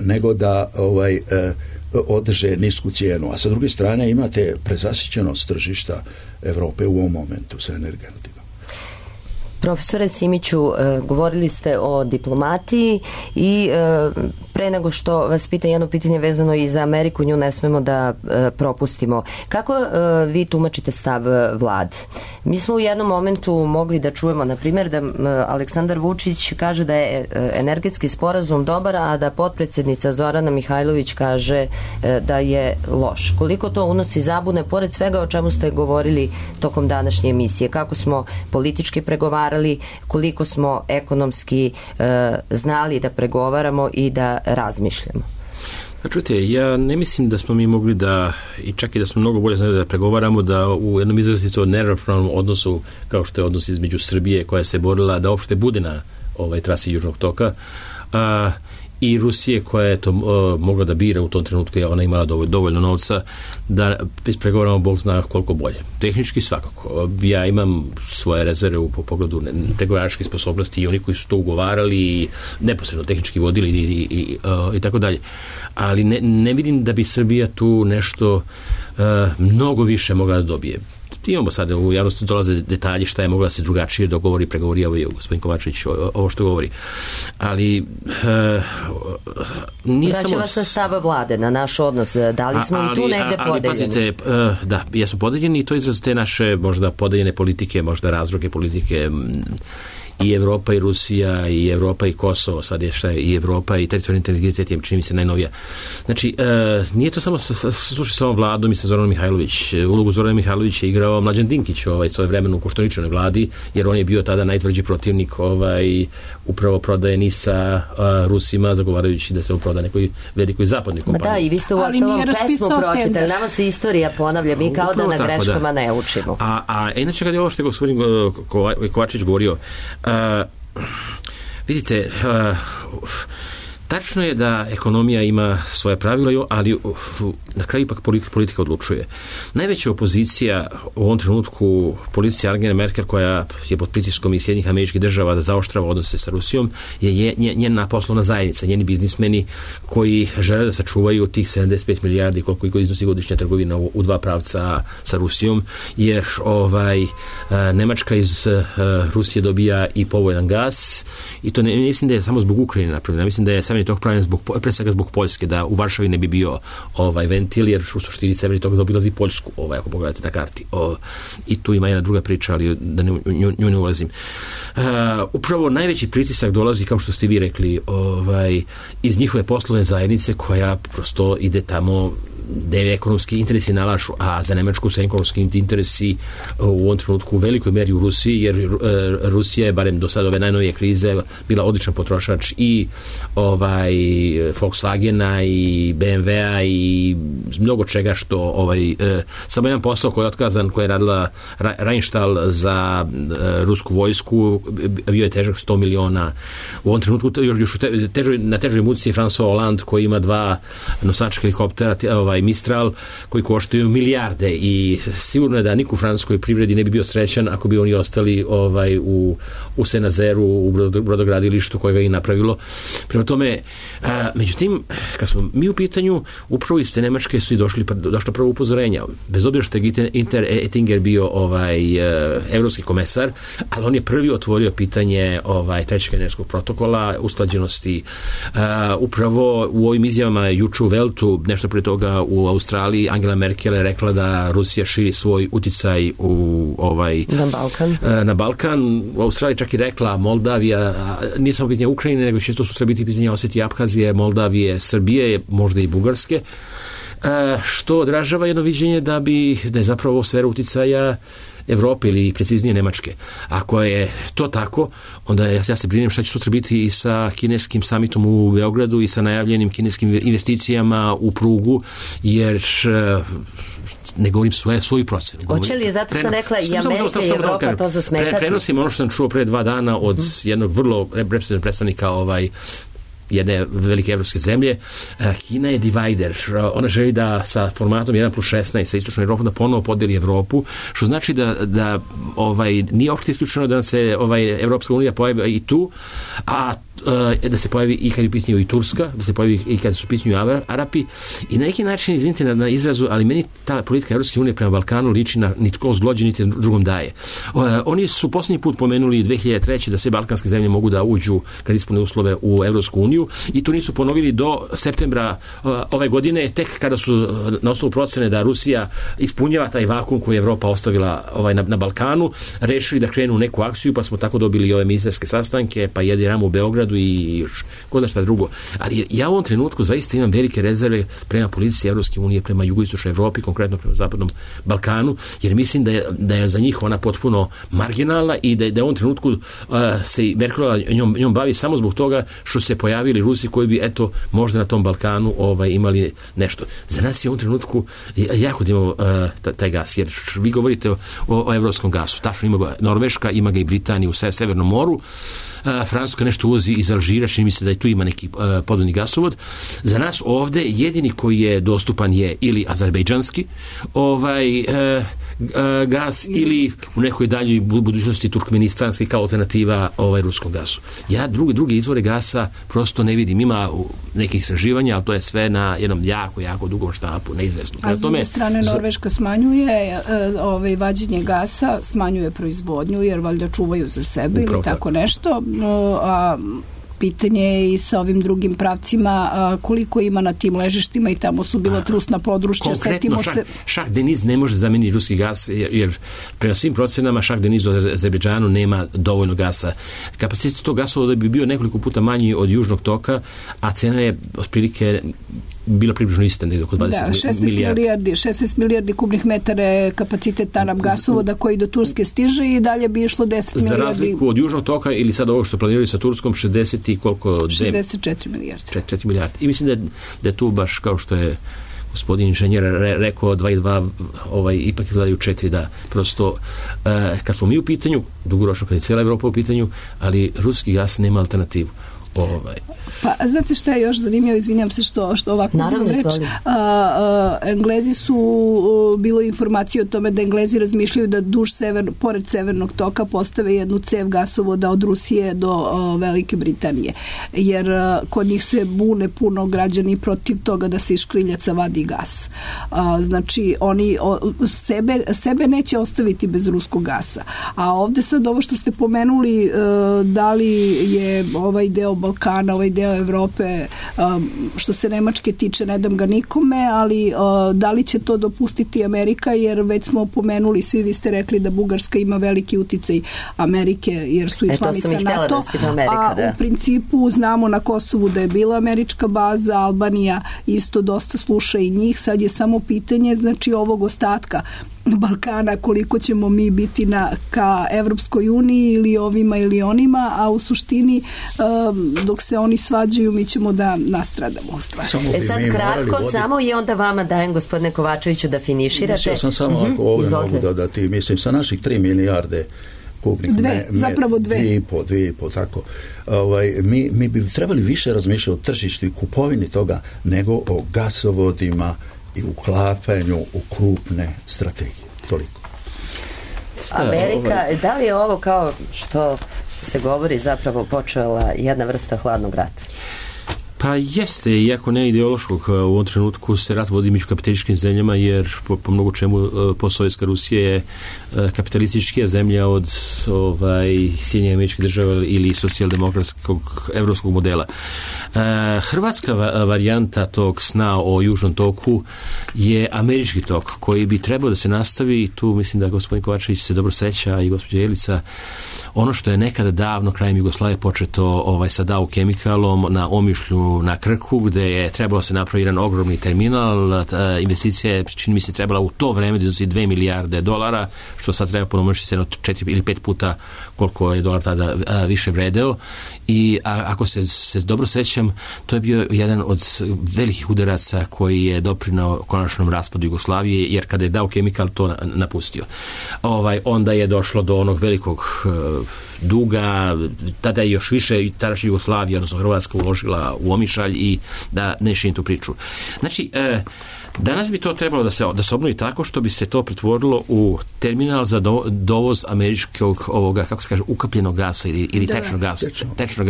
nego da održe nisku cijenu. A sa druge strane imate prezasićenost tržišta Europe u ovom momentu sa energentima. Profesore Simiću, govorili ste o diplomatiji i pre nego što vas pita jedno pitanje vezano i za Ameriku, nju ne smemo da propustimo. Kako vi tumačite stav vlade? Mi smo u jednom momentu mogli da čujemo, na primjer, da Aleksandar Vučić kaže da je energetski sporazum dobar, a da potpredsjednica Zorana Mihajlović kaže da je loš. Koliko to unosi zabune, pored svega o čemu ste govorili tokom današnje emisije? Kako smo politički pregovarali, koliko smo ekonomski znali da pregovaramo i da razmišljamo? Čujte, ja ne mislim da smo mi mogli da, i čak i da smo mnogo bolje znali da pregovaramo, da u jednom izrazito neravnopravnom odnosu, kao što je odnos između Srbije koja se borila da uopšte bude na trasi Južnog toka, i Rusije koja je to mogla da bira u tom trenutku, je ona imala dovoljno novca da ispregovaramo Bog zna koliko bolje. Tehnički svakako. Ja imam svoje rezerve u pogledu pregovaračke sposobnosti i oni koji su to ugovarali i neposredno tehnički vodili i tako dalje. Ali ne vidim da bi Srbija tu nešto mnogo više mogla da dobije. Imamo sada u javnosti dolaze detalji šta je mogla da se drugačije dogovori, pregovori, evo gospodin Kovačević ovo što govori. Ali nije samo... Vraća vas na stav vlade, na naš odnos, da li smo i tu negde podeljeni? Ali pazite, da, jesu podeljeni i to izraz te naše možda podeljene politike, možda razroke politike, i Evropa i Rusija i Evropa i Kosovo, sad je šta je i Evropa i teritorijalni integritet je čini mi se najnovija. Znači, nije to samo slušaj sa ovom vladom i sa Zoranom Mihajlović. Ulogu Zorana Mihajlović je igrao Mlađan Dinkić svoje vremenu u Koštuničanoj vladi, jer on je bio tada najtvrđi protivnik upravo prodaje NIS-a Rusima, zagovarajući da se on proda nekoj velikoj zapadnoj kompaniji. Da, i vi ste u ostalom pesmu pročitali. Nama se istorija ponavlja, mi kao da na greškama ne učimo. A inače kad je ovo što je gospodin Kovačević govorio, vidite, tačno je da ekonomija ima svoje pravila, ali na kraju ipak politika odlučuje. Najveća opozicija u ovom trenutku, policija Angele Merkel, koja je pod pritiskom i Sjedinjenih Američkih Država da zaoštrava odnose sa Rusijom, je njena poslovna zajednica, njeni biznismeni koji žele da sačuvaju tih 75 milijardi koliko iznosi godišnja trgovina u dva pravca sa Rusijom, jer Nemačka iz Rusije dobija i povoljan gas, i to ne mislim da je samo zbog Ukrajine napravljeno, mislim da je severni tok pravljen pre svega zbog Poljske, da u Varšavi ne bi bio ventil, jer u suštini severni tok zaobilazi Poljsku, ako pogledate na karti. I tu ima jedna druga priča, ali da nju ne ulazim. Upravo najveći pritisak dolazi, kao što ste vi rekli, iz njihove poslovne zajednice, koja prosto ide tamo gde ekonomski interesi nalažu, a za Nemačku su ekonomski interesi u ovom trenutku u velikoj meri u Rusiji, jer Rusija je, barem do sada ove najnovije krize, bila odličan potrošač i Volkswagena i BMW-a i mnogo čega što samo jedan posao koji je otkazan, koji je radila Rheinstahl za rusku vojsku, bio je težak 100 miliona. U ovom trenutku još na težoj muci je François Hollande, koji ima 2 nosačka helikoptera Mistral, koji koštaju milijarde, i sigurno je da niko u francuskoj privredi ne bi bio srećan ako bi oni ostali u Senazeru, u brodogradilištu koje ga i napravilo. Prema tome, međutim, kad smo mi u pitanju, upravo iz te Nemačke su i došlo prvo upozorenja. Bez obzira što je Günther Oettinger bio evropski komesar, ali on je prvi otvorio pitanje trećeg energetskog protokola, usklađenosti. Upravo u ovim izjavama juče u Veltu, nešto prije toga u Australiji, Angela Merkel je rekla da Rusija širi svoj uticaj na Balkan. U Australiji čak i rekla Moldavija, nije samo pitanje Ukrajine, nego će to sutra biti pitanje Osetije, Apkazije, Moldavije, Srbije, možda i Bugarske, što odražava jedno viđenje da je zapravo ovo sfera uticaja Evrope ili preciznije Nemačke. Ako je to tako, onda ja se brinem šta će sutra biti i sa kineskim samitom u Beogradu i sa najavljenim kineskim investicijama u prugu, jer ne govorim svoju procenu. Hoće li je, zato sam rekla, i Amerika i Evropa to zasmetati? Prenosim ono što sam čuo pre 2 dana od jednog vrlo reprezentativnog predstavnika jedne velike evropske zemlje. Kina je divider. Ona želi da sa formatom 1+16 sa istočnom Evropom da ponovo podeli Evropu, što znači da nije opšte isključeno da se Evropska unija pojavi i tu, a da se pojavi i kad je u pitanju i Turska, da se pojavi i kad su u pitanju Arapi. I na neki način, izvinite na izrazu, ali meni ta politika Evropske unije prema Balkanu liči na nitko zglođe, niti drugom daje. Oni su posljednji put pomenuli 2003. da sve balkanske zemlje mogu da uđu kad ispune uslove u Evropsku uniju i to nisu ponovili do septembra ove godine, tek kada su na osnovu procene da Rusija ispunjava taj vakum koji je Evropa ostavila na Balkanu, rešili da krenu u neku akciju, pa smo tako dobili ove ministarske sastanke, pa jedi ramu u Beogradu i još ko zna šta drugo. Ali ja u ovom trenutku zaista imam velike rezerve prema politici Evropske unije, prema jugoistočnoj Evropi, konkretno prema zapadnom Balkanu, jer mislim da je za njih ona potpuno marginalna i da je u ovom trenutku se Merkelova njom bavi samo zbog toga što se pojavili Rusi koji bi možda na tom Balkanu imali nešto. Za nas je u ovom trenutku jako da imamo taj gas, jer vi govorite o evropskom gasu. Tačno ima ga Norveška, ima ga i Britanija u Severnom moru. Francuska nešto uvozi iz Alžira, čini mi se da i tu ima neki podvodni gasovod. Za nas ovde jedini koji je dostupan je ili azerbejdžanski gas ili u nekoj daljoj budućnosti turkmenistanski kao alternativa ruskom gasu. Ja druge izvore gasa prosto ne vidim. Ima nekih istraživanja, ali to je sve na jednom jako dugom štapu, neizvesno. A s druge strane Norveška smanjuje vađenje gasa, smanjuje proizvodnju jer valjda čuvaju za sebe ili tako nešto, a pitanje je i sa ovim drugim pravcima koliko ima na tim ležištima i tamo su bila trusna područja. Konkretno, Šah Deniz ne može zameniti ruski gas jer prema svim procenama Šah Deniz u Azerbejdžanu nema dovoljno gasa. Kapacitet tog gasovoda bi bio nekoliko puta manji od južnog toka, a cena je otprilike bila približno ista, negdje oko 16 milijardi kubnih metara je kapacitet Tanap gasovoda koji do Turske stiže i dalje bi išlo 10 milijardi. Za razliku od južnog toka ili sad ovo što planiraju sa Turskom 64 milijardi. 4 milijardi. I mislim da je tu baš kao što je gospodin inženjer rekao 2 i 2 ipak izgledaju 4, da prosto kad smo mi u pitanju, dugoročno kad je cijela Evropa u pitanju, ali ruski gas nema alternativu. Pa, znate šta je još zanimljivo, izvinjam se što ovako uzimam reč. Englezi su, bilo informacije o tome da Englezi razmišljaju da pored severnog toka postave jednu cev gasovoda od Rusije do Velike Britanije. Jer kod njih se bune puno građani protiv toga da se iz škriljaca vadi gas. Znači, oni sebe neće ostaviti bez ruskog gasa. A ovde sad ovo što ste pomenuli, da li je ovaj deo Balkana, ovaj deo Evrope, što se Nemačke tiče, ne dam ga nikome, ali da li će to dopustiti Amerika, jer već smo pomenuli, svi vi ste rekli da Bugarska ima veliki uticaj Amerike, jer su i članica NATO, u principu znamo na Kosovu da je bila američka baza, Albanija isto dosta sluša i njih, sad je samo pitanje, znači, ovog ostatka Balkana, koliko ćemo mi biti ka Evropskoj uniji ili ovima ili onima, a u suštini dok se oni svađaju mi ćemo da nastradamo u stvari. Sad kratko samo i onda vama dajem, gospodine Kovačeviću, da finiširate. Mislio sam samo ako ovdje mogu dodati, mislim sa naših 3 milijarde kubnih zapravo 2,5 tako. Mi bi trebali više razmišljati o tržištu i kupovini toga nego o gasovodima i uklapanju u krupne strategije. Toliko. Amerika, da li je ovo kao što se govori zapravo počela jedna vrsta hladnog rata? Pa jeste, iako ne ideološkog, u ovom trenutku se rat vodi među kapitalističkim zemljama, jer po mnogo čemu postsovjetska Rusija je kapitalističkija zemlja od Sjedinjenih Američkih Država ili socijaldemokratskog evropskog modela. Hrvatska varijanta tog sna o južnom toku je američki tok, koji bi trebao da se nastavi, tu mislim da gospodin Kovačević se dobro seća i gospođa Jelica, ono što je nekada davno krajem Jugoslavije početo sa Dow Chemicalom na Omišlju na Krku, gde je trebalo se napraviti jedan ogromni terminal, investicija je, čini mi se, trebala u to vreme da iznosi $2 milijarde, što sad treba ponomnožiti se 4 ili 5 puta koliko je dolar tada više vredeo, i i ako se dobro sećam, to je bio jedan od velikih udaraca koji je doprinao konačnom raspadu Jugoslavije, jer kada je Dow Chemical to napustio. Onda je došlo do onog velikog duga, tada je još više i tadašnja Jugoslavija, odnosno Hrvatska, uložila u Omišalj i da ne širim tu priču. Znači, danas bi to trebalo da se obnovi tako što bi se to pretvorilo u terminal za dovoz američkog ovoga, kako se kaže, ukapljenog gasa ili tečnog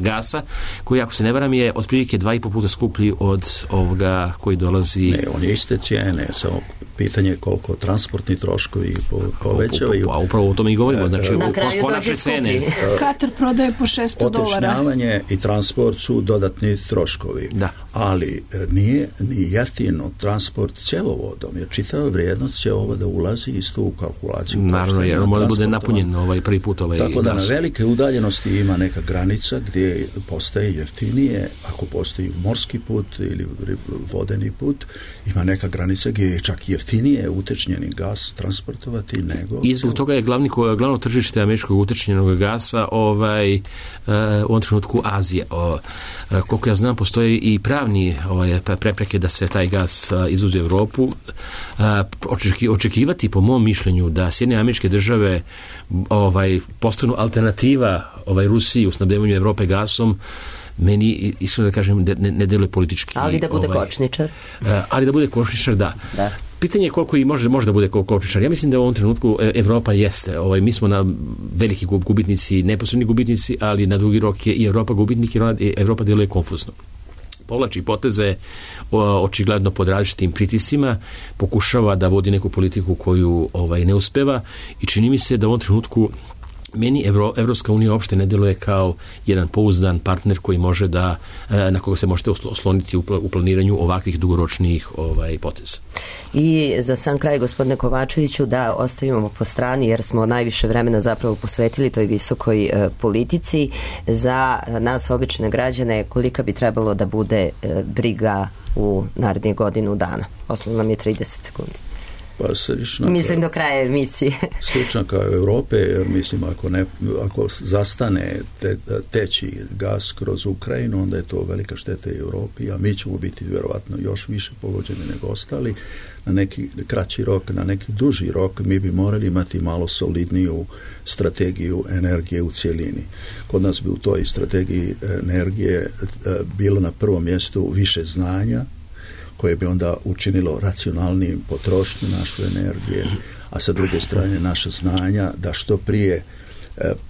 gasa, koji, ako se ne varam, je otprilike 2,5 puta skuplji od ovoga koji dolazi... Ne, on je iste cijene, samo pitanje je koliko transportni troškovi povećavaju. A upravo o tome i govorimo, znači po naše cene. Katar prodaje po $600. Otečnjavanje i transport su dodatni troškovi. Da. Ali nije ni jeftino transport cjevovodom, jer čitava vrijednost cjevovoda ulazi isto u kalkulaciju. Naravno, jer on mora bude napunjen prvi put tako da gas. Na velike udaljenosti ima neka granica gdje postaje jeftinije, ako postoji morski put ili vodeni put, ima neka granica gdje je čak jeftinije utečnjeni gas transportovati nego... I zbog toga je glavno tržište američkog utečnjenog gasa u ovom trenutku Azija. Koliko ja znam, postoje i pravni prepreke da se taj gas izvozi u Europu. Očekivati, po mom mišljenju, da Sjedinjene Američke Države postanu alternativa Rusiji u snabdevanju Evrope gasom, meni, iskreno da kažem, ne deluje politički. Ali da bude kočničar. Ali da bude kočničar, da. Pitanje je koliko i može da bude kočničar. Ja mislim da u ovom trenutku Evropa jeste. Mi smo na veliki gubitnici, neposredni gubitnici, ali na dugi rok je i Evropa gubitnik, jer Evropa deluje konfuzno. Povlači poteze očigledno pod različitim pritiscima, pokušava da vodi neku politiku koju ne uspeva i čini mi se da u ovom trenutku meni Evropska unija uopšte ne deluje kao jedan pouzdan partner koji može na koga se možete osloniti u planiranju ovakvih dugoročnih poteza. I za sam kraj, gospodine Kovačeviću, da ostavimo po strani, jer smo najviše vremena zapravo posvetili toj visokoj politici. Za nas, obične građane, kolika bi trebalo da bude briga u narednih godinu dana? Ostalo nam je 30 sekundi. Pa mislim do kraja emisije. Slično kao Europe, jer mislim ako zastane teći gas kroz Ukrajinu, onda je to velika šteta i Europi, a mi ćemo biti vjerovatno još više pogođeni nego ostali. Na neki kraći rok, na neki duži rok mi bi morali imati malo solidniju strategiju energije u cjelini. Kod nas bi u toj strategiji energije bilo na prvom mjestu više znanja, koje bi onda učinilo racionalnijim potrošnju naše energije, a sa druge strane naša znanja da što prije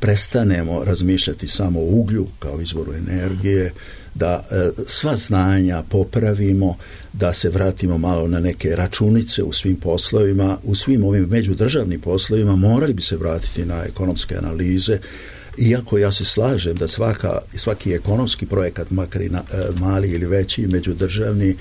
prestanemo razmišljati samo o uglju kao izvoru energije, da sva znanja popravimo, da se vratimo malo na neke računice u svim poslovima, u svim ovim međudržavnim poslovima morali bi se vratiti na ekonomske analize. Iako ja se slažem da svaki ekonomski projekat, makar i mali ili veći, međudržavni,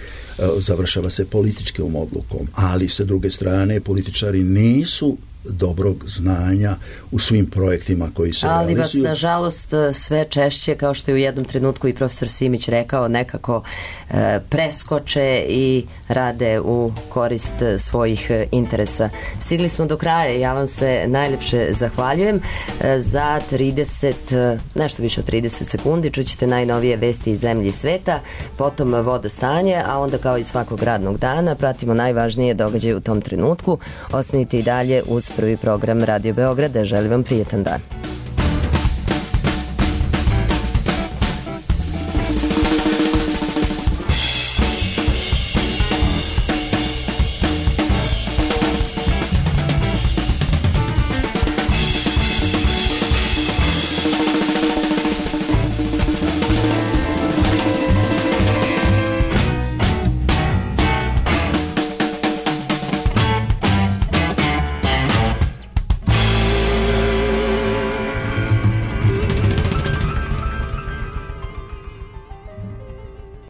završava se političkom odlukom, ali sa druge strane političari nisu dobrog znanja u svim projektima koji se realizuju. Ali vas, nažalost, sve češće, kao što je u jednom trenutku i profesor Simić rekao, nekako preskoče i rade u korist svojih interesa. Stigli smo do kraja, ja vam se najljepše zahvaljujem. Za nešto više od 30 sekundi čućete najnovije vesti iz zemlje i sveta, potom vodostanje, a onda kao i svakog radnog dana pratimo najvažnije događaje u tom trenutku. Ostanite i dalje uz prvi program Radio Beograda. Želim vam prijetan dan.